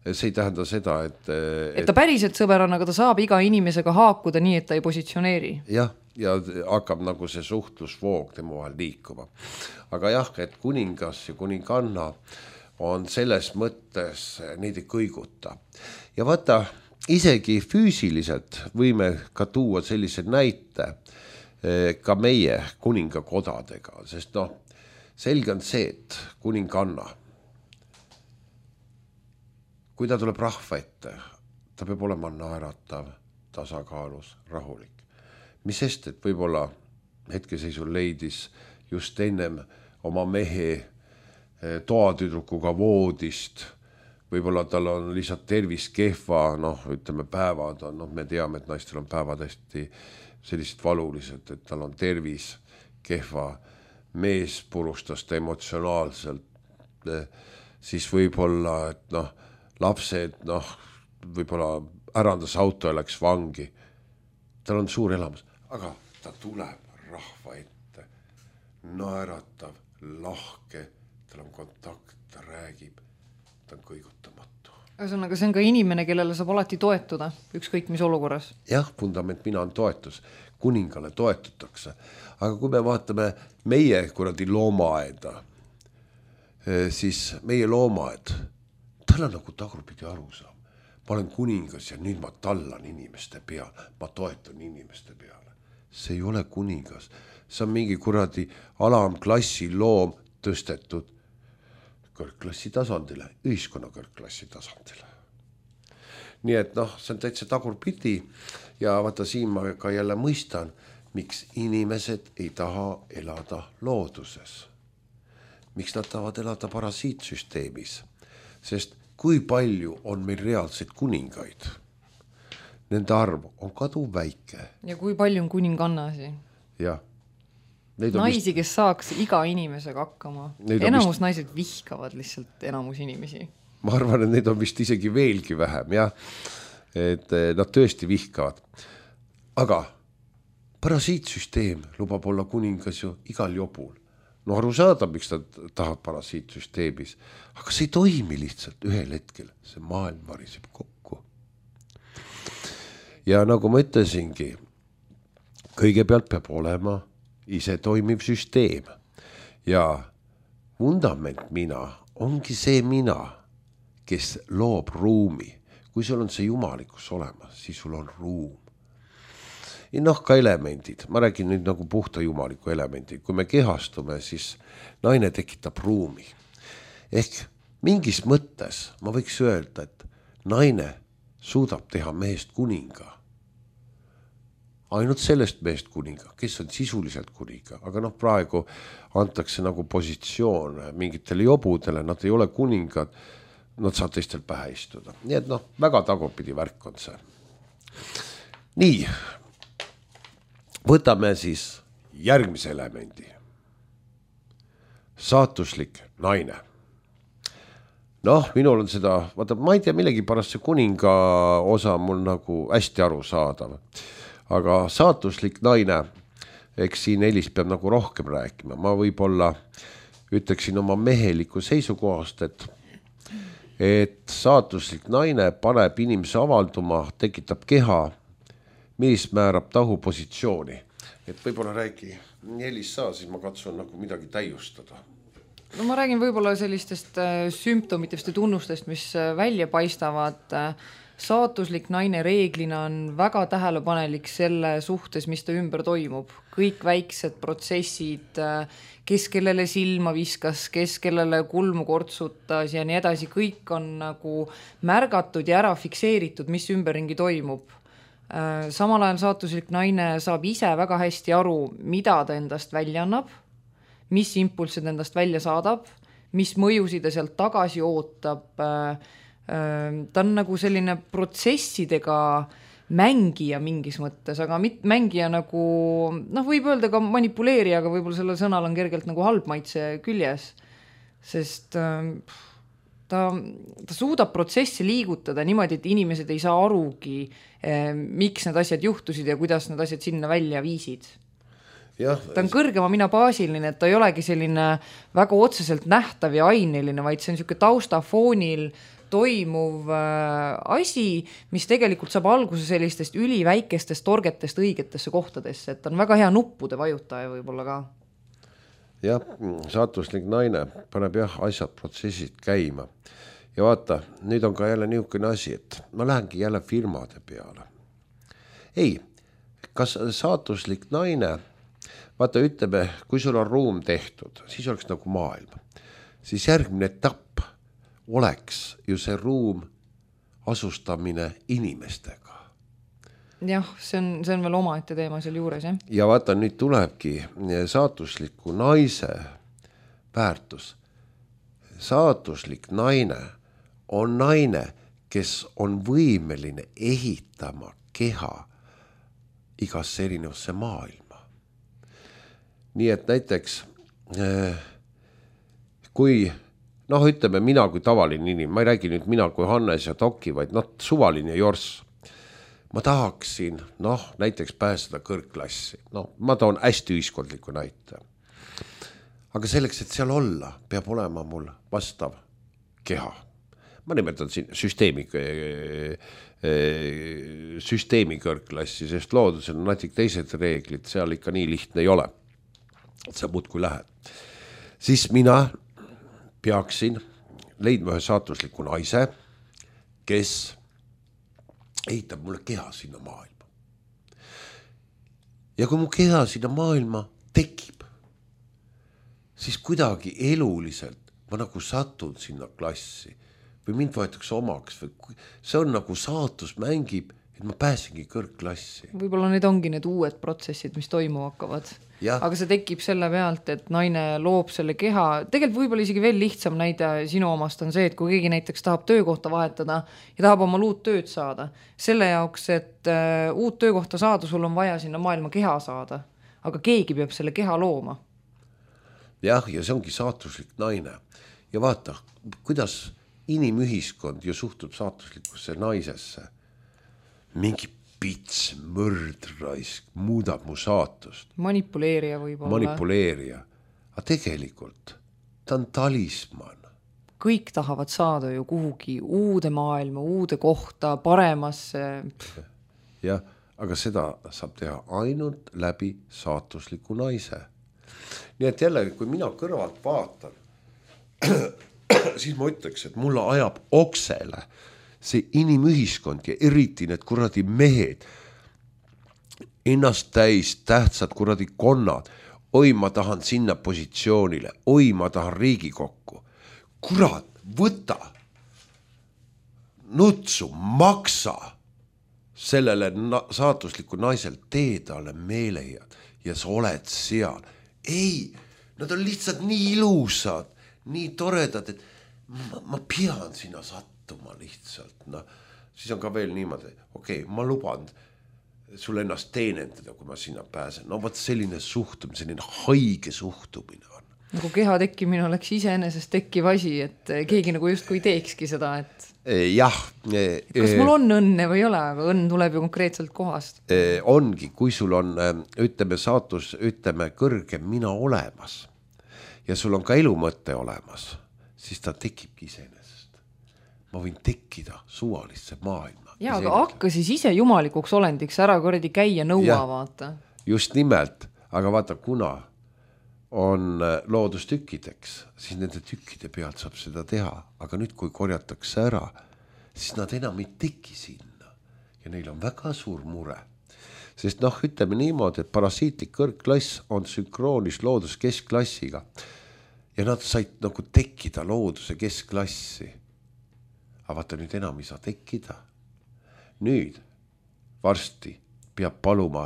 see ei tähenda seda, et... Et ta päriselt sõber on, aga ta saab iga inimesega haakuda nii, et ta ei positsioneeri. Jah, ja hakkab nagu see suhtlusvoog tema vahel liikuma. Aga jah, et kuningas ja kuninganna on selles mõttes neid ei kõiguta. Ja vaata, isegi füüsiliselt võime ka tuua sellise näite ka meie kuningakodadega, sest noh, selge on see, et kuninganna, kui ta tuleb rahva ette, ta peab olema naeratav, tasakaalus, rahulik. Mis sest, et võib-olla hetkeseisul leidis just ennem oma mehe toatüdrukuga voodist, võib-olla tal on lihtsalt tervis kehva, noh, ütleme päevad on, noh, me teame, et naistel on päevad hästi sellised valulised, et tal on tervis kehva, mees purustas ta emotsionaalselt, siis võib-olla, et noh, lapsed, noh, võib-olla ärandas auto ja läks vangi, tal on suur elamus, aga ta tuleb rahva ette, naeratav, lahke, tal on kontakt, ta räägib, ta on kõigutamatu. Ühesõnaga, see on ka inimene, kellele saab alati toetuda, ükskõik mis olukorras. Jah, fundament mina on toetus, kuningale toetutakse. Aga kui me vaatame meie kuradi loomaaeda, siis meie loomaaed, tal on nagu tagurpidi aru saab. Ma olen kuningas ja nüüd ma tallan inimeste peale, ma toetan inimeste peale. See ei ole kuningas, see on mingi kuradi alamklassi loom tõstetud kõrgklassi tasandile, ühiskonna kõrgklassi tasandile. Nii et noh, see on täitsa tagurpidi ja vaata siin ma ka jälle mõistan, miks inimesed ei taha elada looduses. Miks nad tahavad elada parasiitsüsteemis, sest kui palju on meil reaalseid kuningaid? Nende arv on kadu väike. Ja kui palju on kuningannasi? Jah. Naisi, vist... kes saaks iga inimesega hakkama. Enamus vist... naised vihkavad lihtsalt enamus inimesi. Ma arvan, et neid on vist isegi veelgi vähem, jah. Et nad tõesti vihkavad. Aga parasiitsüsteem lubab olla kuningas ju igal jobul. No aru saada, miks nad tahavad parasiitsüsteemis. Aga see ei toimi lihtsalt ühel hetkel. See maailm variseb kokku. Ja nagu ma ütlesingi, kõigepealt peab olema ise toimiv süsteem ja vundament mina ongi see mina, kes loob ruumi. Kui sul on see jumalikkus olemas, siis sul on ruum. Ja noh, ka elemendid. Ma räägin nüüd nagu puhta jumaliku elemendid. Kui me kehastume, siis naine tekitab ruumi. Ehk mingis mõttes ma võiks öelda, et naine suudab teha mehest kuninga. Ainult sellest meest kuninga, kes on sisuliselt kuninga, aga noh, praegu antakse nagu positsioon mingitele jobudele, nad ei ole kuningad, nad saab teistel pähe istuda. Nii et noh, väga tagurpidi värk on see. Nii, võtame siis järgmise elemendi. Saatuslik naine. Noh, minul on seda, vaata, ma ei tea millegi pärast see kuninga osa mul nagu hästi aru saadav. Aga saatuslik naine, eks siin Elis peab nagu rohkem rääkima. Ma võib-olla ütleksin oma meheliku seisukohast, et, et saatuslik naine paneb inimese avalduma, tekitab keha, mis määrab tahu positsiooni. Et võib-olla räägi Elis saa, siis ma katsun nagu midagi täiustada. No ma räägin võib-olla sellistest sümptomitest ja tunnustest, mis välja paistavad saatuslik naine reeglina on väga tähelepanelik selle suhtes, mis ta ümber toimub. Kõik väiksed protsessid, kes kellele silma viskas, kes kellele kulmu kortsutas ja nii edasi, kõik on nagu märgatud ja ära fikseeritud, mis ümberringi toimub. Samal ajal saatuslik naine saab ise väga hästi aru, mida ta endast välja annab, mis impulsid endast välja saadab, mis mõjusid ta sealt tagasi ootab. Ta on nagu selline protsessidega mängija mingis mõttes, aga mit, mängija nagu, noh, võib öelda ka manipuleerija, aga võib-olla sellel sõnal on kergelt nagu halb maitse küljes, sest ta, ta suudab protsessi liigutada niimoodi, et inimesed ei saa arugi, miks need asjad juhtusid ja kuidas need asjad sinna välja viisid. Ja, ta on kõrgema mina baasiline, et ta ei olegi selline väga otseselt nähtav ja aineline, vaid see on niisugune taustafoonil toimuv asi, mis tegelikult saab alguse sellistest üliväikestest torgetest õigetesse kohtadesse, et ta on väga hea nuppude vajutaja võib-olla ka. Jah, saatuslik naine paneb jah asjad, protsessid käima. Ja vaata, nüüd on ka jälle niisugune asi, et ma lähengi jälle firmade peale. Ei, kas saatuslik naine, vaata ütleme, kui sul on ruum tehtud, siis oleks nagu maailm. Siis järgmine etapp oleks ju see ruum asustamine inimestega. Jah, see on, see on veel omaette teema seal juures, jah. Ja vaata, nüüd tulebki saatusliku naise väärtus. Saatuslik naine on naine, kes on võimeline ehitama keha igasse erinevasse maailma. Nii et näiteks kui noh, ütleme mina kui tavaline inimene, ma ei räägi nüüd mina kui Hannes ja Toki, vaid noh, suvaline jorss. Ma tahaksin, noh, näiteks pääseda kõrgklassi. No, ma toon hästi ühiskondliku näite. Aga selleks, et seal olla, peab olema mul vastav keha. Ma nimetan siin süsteemi, süsteemi kõrgklassi, sest loodusel on natik teised reeglid, seal ikka nii lihtne ei ole. Sa muud kui lähed. Siis mina peaksin leidma ühe saatusliku naise, kes ehitab mulle keha sinna maailma. Ja kui mu keha sinna maailma tekib, siis kuidagi eluliselt ma nagu satun sinna klassi või mind võetakse omaks. Või see on nagu saatus mängib, et ma pääsengi kõrgklassi. Võib-olla need ongi need uued protsessid, mis toimu hakkavad. Ja. Aga see tekib selle pealt, et naine loob selle keha. Tegelikult võib-olla isegi veel lihtsam näide sinu omast on see, et kui keegi näiteks tahab töökohta vahetada ja tahab oma uut tööd saada. Selle jaoks, et uh, uut töökohta saada, sul on vaja sinna maailma keha saada. Aga keegi peab selle keha looma. Jah, ja see ongi saatuslik naine. Ja vaata, kuidas inimühiskond ju suhtub saatuslikusse naisesse. Mingi pits, mõrdraisk, muudab mu saatust. Manipuleerija võib-olla. Manipuleerija. Aga tegelikult ta on talisman. Kõik tahavad saada ju kuhugi uude maailma, uude kohta, paremasse. Jah, aga seda saab teha ainult läbi saatusliku naise. Nii et jälle, kui mina kõrvalt vaatan, siis ma ütleks, et mulle ajab oksele see inimühiskond ja eriti need kuradi mehed, ennast täis tähtsad kuradi konnad, oi ma tahan sinna positsioonile, oi ma tahan Riigikokku. Kurat, võta, nutsu, maksa sellele na- saatusliku naisel tee talle meelejad ja sa oled seal. Ei, nad on lihtsalt nii ilusad, nii toredad, et ma, ma pean sinna sattuma lihtsalt, no siis on ka veel niimoodi, okei, okay, ma luban sul ennast teenendada, kui ma sinna pääsen, no võt selline suhtumine, selline haige suhtumine on. Nagu keha tekkimine oleks iseenesest tekkiv asi, et keegi nagu just kui teekski seda, et jah. Kas mul on õnne või ei ole, aga õnn tuleb ju konkreetselt kohast. Ongi, kui sul on, ütleme, saatus, ütleme, kõrgem mina olemas ja sul on ka elumõtte olemas, siis ta tekibki iseenesest. Ma võin tekkida suvalisse maailma. Jaa, aga hakka siis ise jumalikuks olendiks ära korredi käia nõua, ja, vaata. Just nimelt, aga vaata, kuna on loodustükkideks, siis nende tükkide pealt saab seda teha. Aga nüüd, kui korjatakse ära, siis nad enam ei teki sinna ja neil on väga suur mure. Sest noh, ütleme niimoodi, et parasiitlik kõrgklass on sünkroonis looduse keskklassiga ja nad said nagu tekkida looduse keskklassi. Aga vaata, nüüd enam ei saa tekkida. Nüüd varsti peab paluma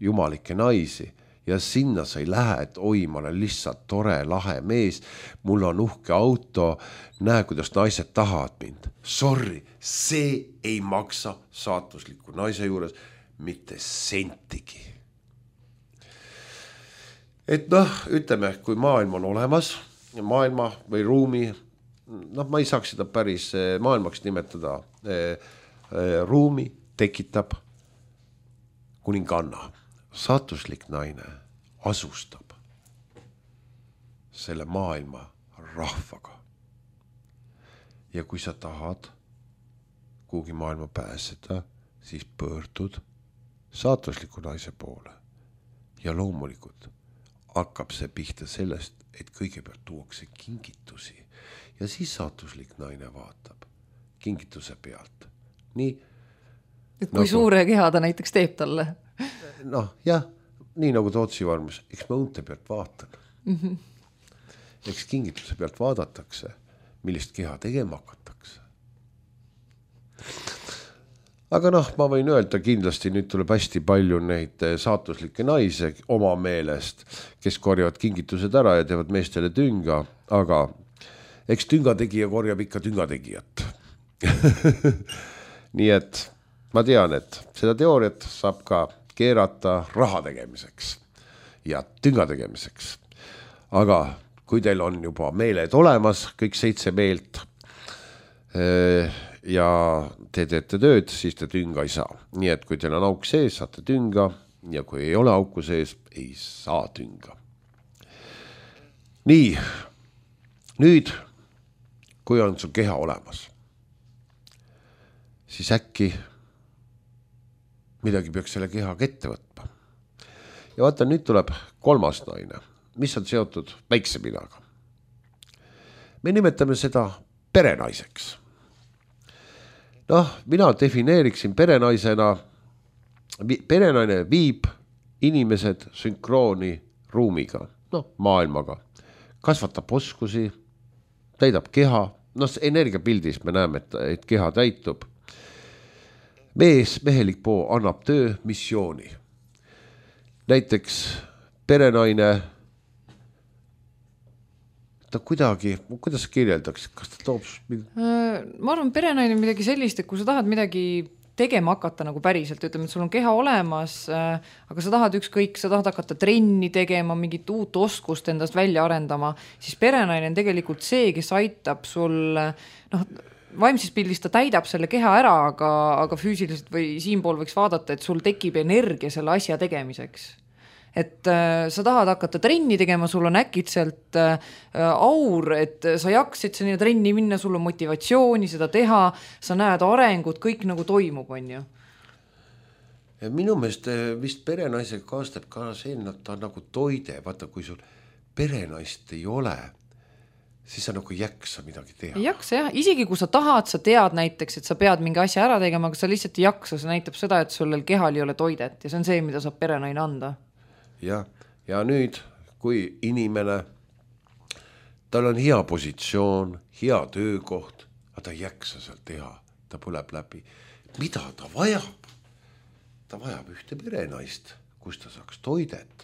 jumalikke naisi ja sinna sa ei lähe, et oi, ma olen lihtsalt tore, lahe mees, mul on uhke auto, näe, kuidas naised tahavad mind. Sorry, see ei maksa saatusliku naise juures mitte sentigi. Et noh, ütleme, kui maailm on olemas, maailma või ruumi, noh, ma ei saaks seda päris maailmaks nimetada, ruumi tekitab kuninganna. Saatuslik naine asustab selle maailma rahvaga. Ja kui sa tahad kuhugi maailma pääseda, siis pöördud saatusliku naise poole. Ja loomulikult hakkab see pihta sellest, et kõigepealt tuuakse kingitusi ja siis saatuslik naine vaatab kingituse pealt. Nii, et kui nagu, suure keha ta näiteks teeb talle? Noh, jah, nii nagu Tootsi varmus, eks ma unte pealt vaatan. Mm-hmm. Eks kingituse pealt vaadatakse, millist keha tegema hakatakse. Aga noh, ma võin öelda kindlasti, nüüd tuleb hästi palju neid saatuslikke naise oma meelest, kes korjavad kingitused ära ja teevad meestele tünga, aga eks tüngategija korjab ikka tüngategijat. Nii et ma tean, et seda teooriat saab ka keerata raha tegemiseks ja tünga tegemiseks. Aga kui teil on juba meeled olemas, kõik seitse meelt ja te teete tööd, siis te tünga ei saa. Nii et kui teil on auk sees, saate tünga ja kui ei ole auku sees, ei saa tünga. Nii, nüüd, kui on su keha olemas, siis äkki midagi peaks selle kehaga ette võtma. Ja vaata, nüüd tuleb kolmas naine, mis on seotud väikse minaga. Me nimetame seda perenaiseks. Noh, mina defineeriksin perenaisena, perenaine viib inimesed sünkrooni ruumiga, noh, maailmaga, kasvatab oskusi, täidab keha, noh, energiapildis me näeme, et, et keha täitub. Mees, mehelik poo annab töö missiooni. Näiteks perenaine, ta kuidagi, kuidas kirjeldaks, kas ta toob? Ma arvan, perenaine on midagi sellist, et kui sa tahad midagi tegema hakata nagu päriselt, ütleme, et sul on keha olemas, aga sa tahad ükskõik, sa tahad hakata trenni tegema, mingit uut oskust endast välja arendama, siis perenaine on tegelikult see, kes aitab sul, noh, vaimses pildis ta täidab selle keha ära, aga, aga füüsiliselt või siinpool võiks vaadata, et sul tekib energia selle asja tegemiseks. Et äh, sa tahad hakata trenni tegema, sul on äkitselt äh, aur, et sa jaksid sinna trenni minna, sul on motivatsiooni seda teha, sa näed arengut, kõik nagu toimub, on ju. Ja minu meelest vist perenaisega kaastab ka see, et ta on nagu toide, vaata, kui sul perenaist ei ole, siis sa nagu jaksa midagi teha. Ei jaksa, jah. Isegi kui sa tahad, sa tead näiteks, et sa pead mingi asja ära tegema, aga sa lihtsalt ei jaksa, see näitab seda, et sul kehal ei ole toidet ja see on see, mida saab perenaine anda. Ja, ja nüüd, kui inimene, tal on hea positsioon, hea töökoht, aga ta ei jaksa seal teha, ta põleb läbi. Mida ta vajab? Ta vajab ühte perenaist, kus ta saaks toidet.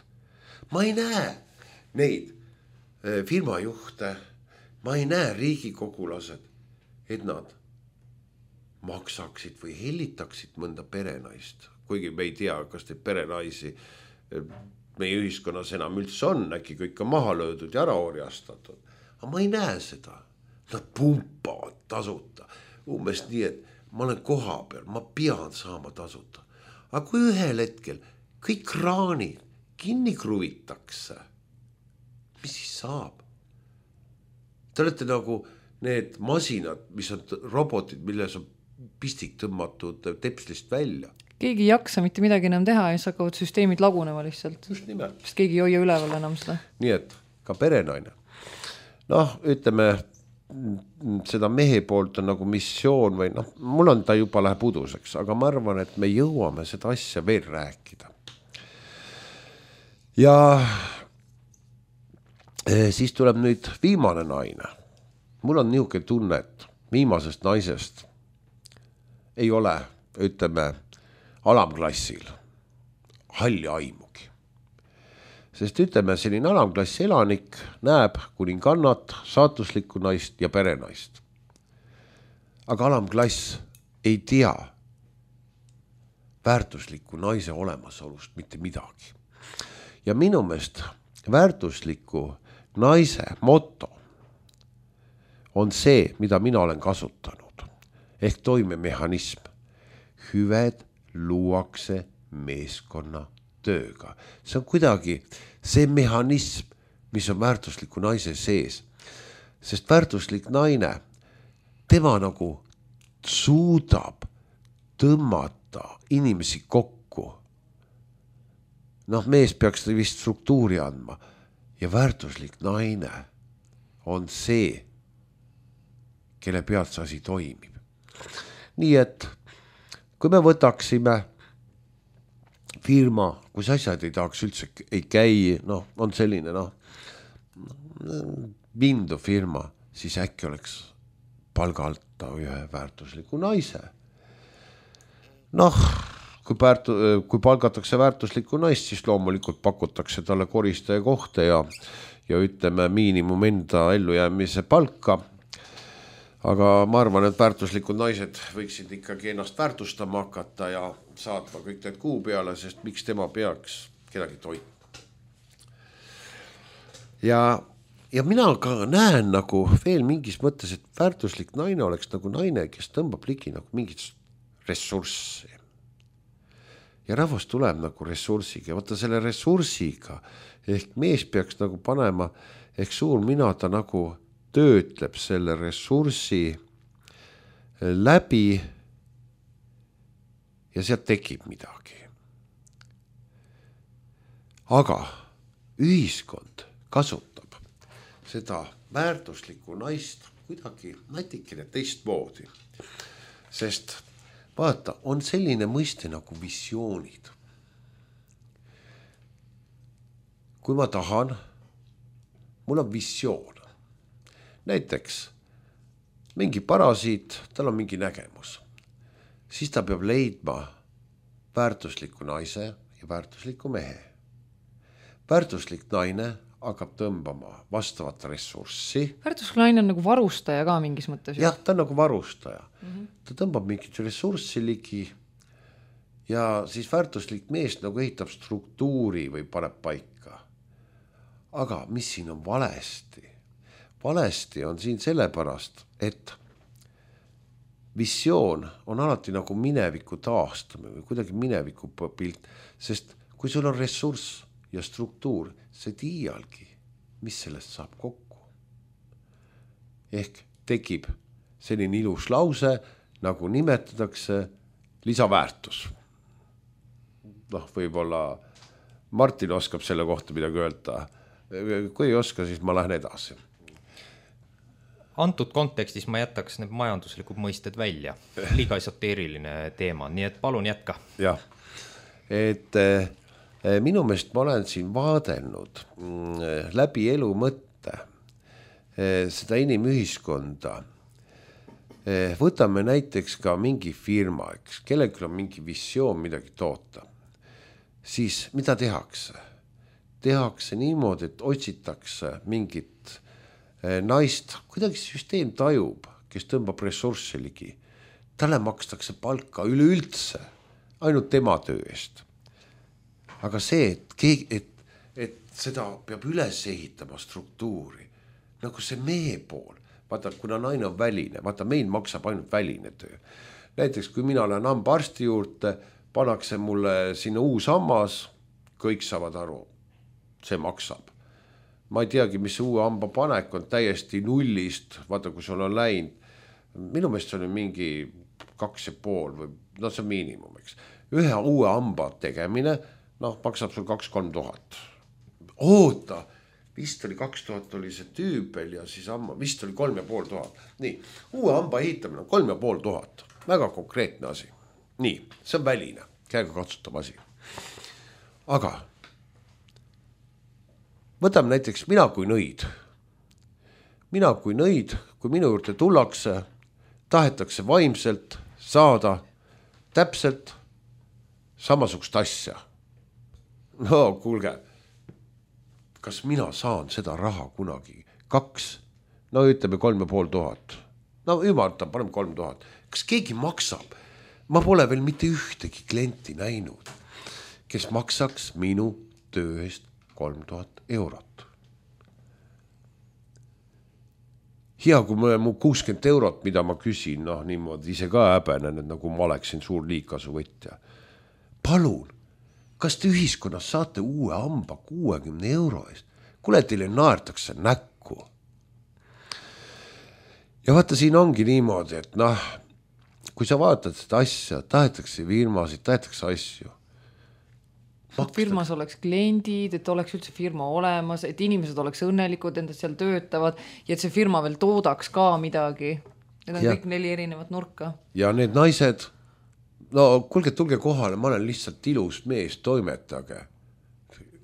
Ma ei näe neid firmajuhte, ma ei näe riigikogulased, et nad maksaksid või hellitaksid mõnda perenaist. Kuigi me ei tea, kas te perenaisi meie ühiskonnas enam üldse on, äkki kõik on maha löödud ja ära orjastatud. Aga ma ei näe seda. Nad pumpavad tasuta. Umbes nii, et ma olen koha peal, ma pean saama tasuta. Aga kui ühel hetkel kõik kraanid kinni kruvitakse, mis siis saab? Te olete nagu need masinad, mis on robotid, milles on pistik tõmmatud tepslist välja. Keegi ei jaksa mitte midagi enam teha ja siis hakkavad süsteemid lagunema lihtsalt. Just nimelt. Sest keegi ei hoia üleval enam seda. Nii et ka perenaine. Noh, ütleme, seda mehe poolt on nagu missioon või noh, mul on ta juba läheb uduseks, aga ma arvan, et me jõuame seda asja veel rääkida. Ja siis tuleb nüüd viimane naine. Mul on niisugune tunne, et viimasest naisest ei ole, ütleme, alamklassil halli aimugi. Sest ütleme, selline alamklassi elanik näeb kuningannat, saatuslikku naist ja perenaist. Aga alamklass ei tea väärtusliku naise olemasolust mitte midagi. Ja minu meelest väärtusliku naise moto on see, mida mina olen kasutanud, ehk toimemehhanism. Hüved luuakse meeskonna tööga. See on kuidagi see mehhanism, mis on väärtusliku naise sees. Sest väärtuslik naine, tema nagu suudab tõmmata inimesi kokku. Noh, mees peaks vist struktuuri andma. Ja väärtuslik naine on see, kelle pealt see asi toimib. Nii et kui me võtaksime firma, kus asjad ei tahaks üldse ei käi, noh, on selline, noh, vindu firma, siis äkki oleks palgalta ühe väärtusliku naise. Noh, kui, päärtu, kui palgatakse väärtusliku naist, siis loomulikult pakutakse talle koristaja kohta ja, ja ütleme miinimum enda ellujäämise palka. Aga ma arvan, et väärtuslikud naised võiksid ikkagi ennast väärtustama hakata ja saatma kõik need kuu peale, sest miks tema peaks kedagi toitma. Ja, ja mina ka näen nagu veel mingis mõttes, et väärtuslik naine oleks nagu naine, kes tõmbab ligi nagu mingit ressurssi. Ja rahvas tuleb nagu ressursiga. Vaata selle ressursiga ehk mees peaks nagu panema, ehk suur mina ta nagu töötleb selle ressursi läbi ja sealt tekib midagi. Aga ühiskond kasutab seda väärtuslikku naist kuidagi natikene teistmoodi. Sest vaata, on selline mõiste nagu visioonid. Kui ma tahan, mul on visioon. Näiteks mingi parasiit, tal on mingi nägemus. Siis ta peab leidma väärtusliku naise ja väärtusliku mehe. Väärtuslik naine hakkab tõmbama vastavat ressurssi. Väärtuslik naine on nagu varustaja ka mingis mõttes. Jah, ta on nagu varustaja. Mm-hmm. Ta tõmbab mingit ressurssi ligi ja siis väärtuslik mees nagu ehitab struktuuri või paneb paika. Aga mis siin on valesti? Valesti on siin sellepärast, et visioon on alati nagu mineviku taastamine või kuidagi mineviku pilt, sest kui sul on ressurss ja struktuur, see tiialgi, mis sellest saab kokku. Ehk tekib selline ilus lause, nagu nimetatakse lisaväärtus. Noh, võib-olla Martin oskab selle kohta midagi öelda. Kui ei oska, siis ma lähen edasi. Antud kontekstis ma jätaks need majanduslikud mõisted välja. Liiga esoteeriline teema, nii et palun jätka. Jah, et eh, minu meelest ma olen siin vaadelnud mm, läbi elu mõtte eh, seda inimühiskonda. Eh, võtame näiteks ka mingi firma, eks, kellelgi on mingi visioon midagi toota. Siis mida tehakse? Tehakse niimoodi, et otsitakse mingit naist, kuidagi süsteem tajub, kes tõmbab ressurssi ligi. Talle makstakse palka üleüldse, ainult tema töö eest. Aga see, et, keegi, et, et seda peab üles ehitama struktuuri, nagu see mehe pool. Vaata, kuna naine on väline, vaata, meil maksab ainult väline töö. Näiteks, kui mina olen hambaarsti juurde, pannakse mulle sinna uus hammas, kõik saavad aru, see maksab. Ma ei teagi, mis uue hamba panek on täiesti nullist, vaata, kui sul on läinud. Minu meelest see on mingi kaks ja pool või no see on miinimum, eks. Ühe uue hamba tegemine, noh, maksab sul kaks kolm tuhat. Oota, vist oli kaks tuhat oli see tüübel ja siis amma, vist oli kolm ja pool tuhat. Nii, uue hamba ehitamine on kolm ja pool tuhat. Väga konkreetne asi. Nii, see on väline, käega katsutav asi. Aga võtame näiteks mina kui nõid. Mina kui nõid, kui minu juurde tullakse, tahetakse vaimselt saada täpselt samasugust asja. No kuulge, kas mina saan seda raha kunagi? Kaks, no ütleme kolm ja pool tuhat. No ümartan, paneme kolm tuhat. Kas keegi maksab? Ma pole veel mitte ühtegi klienti näinud, kes maksaks minu töö eest kolm tuhat eurot. Hea, kui me mu kuuskümmend eurot, mida ma küsin, noh niimoodi ise ka häbenen, et nagu ma oleksin suur liikasuvõtja. Palun, kas te ühiskonnas saate uue hamba kuuekümne euro eest? Kule teile naertakse näkku. Ja vaata, siin ongi niimoodi, et noh, kui sa vaatad seda asja, tahetakse firmasid, tahetakse asju. Et firmas oleks kliendid, et oleks üldse firma olemas, et inimesed oleks õnnelikud, endast seal töötavad ja et see firma veel toodaks ka midagi. Need on ja. Kõik neli erinevat nurka. Ja need naised, no kuulge, tulge kohale, ma olen lihtsalt ilus mees, toimetage.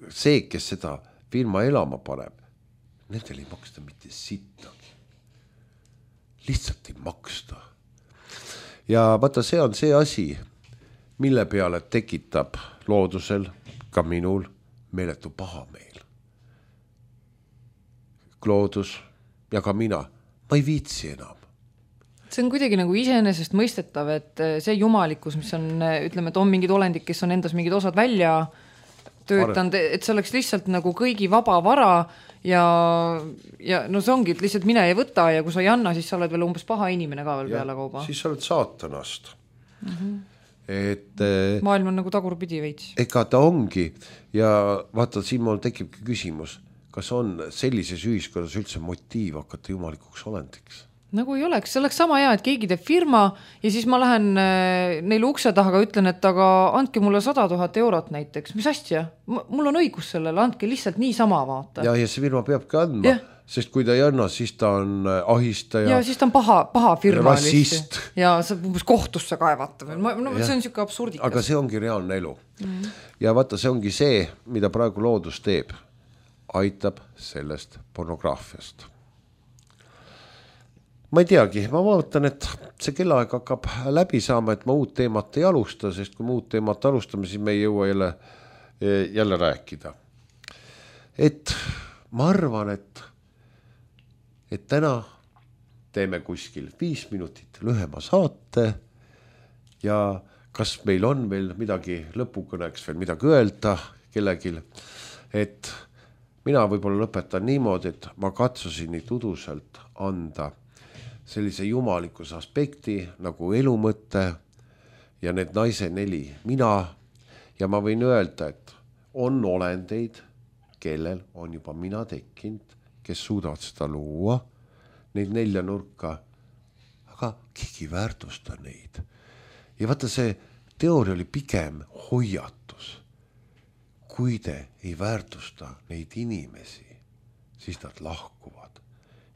See, kes seda firma elama paneb, nendel ei maksta mitte sittagi. Lihtsalt ei maksta. Ja vaata, see on see asi, mille peale tekitab loodusel, ka minul, meeletu pahameel. Loodus ja ka mina, ma ei viitsi enam. See on kuidagi nagu iseenesest mõistetav, et see jumalikkus, mis on, ütleme, et on mingid olendid, kes on endas mingid osad välja töötanud, et see oleks lihtsalt nagu kõigi vaba vara ja, ja no see ongi, et lihtsalt mine ja võta ja kui sa ei anna, siis sa oled veel umbes paha inimene ka veel ja, peale kauba. Siis sa oled saatanast. Mhm. Et, maailm on nagu tagurpidi veits. Ega ta ongi ja vaata, siin mul tekibki küsimus, kas on sellises ühiskonnas üldse motiiv hakata jumalikuks olendiks? Nagu ei oleks, see oleks sama hea, et keegi teeb firma ja siis ma lähen neile ukse taha ja ütlen, et aga andke mulle sada tuhat eurot näiteks, mis asja? Mul on õigus sellele, andke lihtsalt nii sama vaata. Ja, ja see firma peabki andma, yeah. Sest kui ta ei anna, siis ta on ahistaja. Ja siis ta on paha, paha firma. Rassist. Ja see umbes kohtusse kaevata. No, see on siuke absurdikas. Aga see ongi reaalne elu. Mm. Ja vaata, see ongi see, mida praegu loodus teeb. Aitab sellest pornograafiast. Ma ei teagi, ma vaatan, et see kellaaeg hakkab läbi saama, et ma uut teemat ei alusta, sest kui me uut teemat alustame, siis me ei jõua jälle, jälle rääkida. Et ma arvan, et et täna teeme kuskil viis minutit lühema saate ja kas meil on veel midagi lõpukõneks veel midagi öelda kellegil, et mina võib-olla lõpetan niimoodi, et ma katsusin nii tuduselt anda sellise jumalikkuse aspekti nagu elumõtte ja need naise neli mina ja ma võin öelda, et on olendeid, kellel on juba mina tekkinud, kes suudavad seda luua, neid nelja nurka, aga keegi väärtusta neid. Ja vaata, see teooria oli pigem hoiatus. Kui te ei väärtusta neid inimesi, siis nad lahkuvad.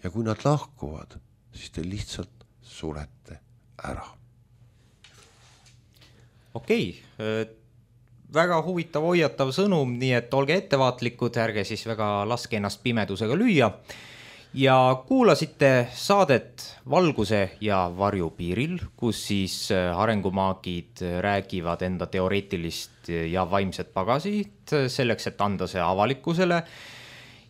Ja kui nad lahkuvad, siis te lihtsalt surete ära. Okei, väga huvitav hoiatav sõnum, nii et olge ettevaatlikud, ärge siis väga laske ennast pimedusega lüüa. Ja kuulasite saadet Valguse ja varju piiril, kus siis arengumaagid räägivad enda teoreetilist ja vaimset pagasit selleks, et anda see avalikkusele.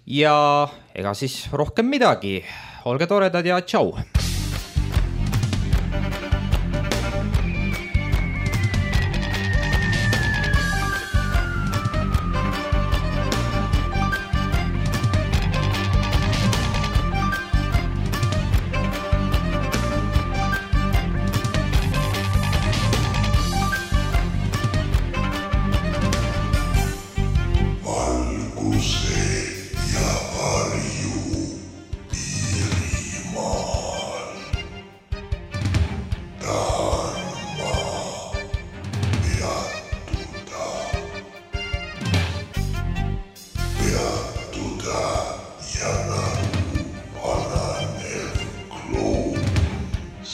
Ja ega siis rohkem midagi. Olge toredad ja tšau! Valguse ja varju piirimaal.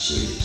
see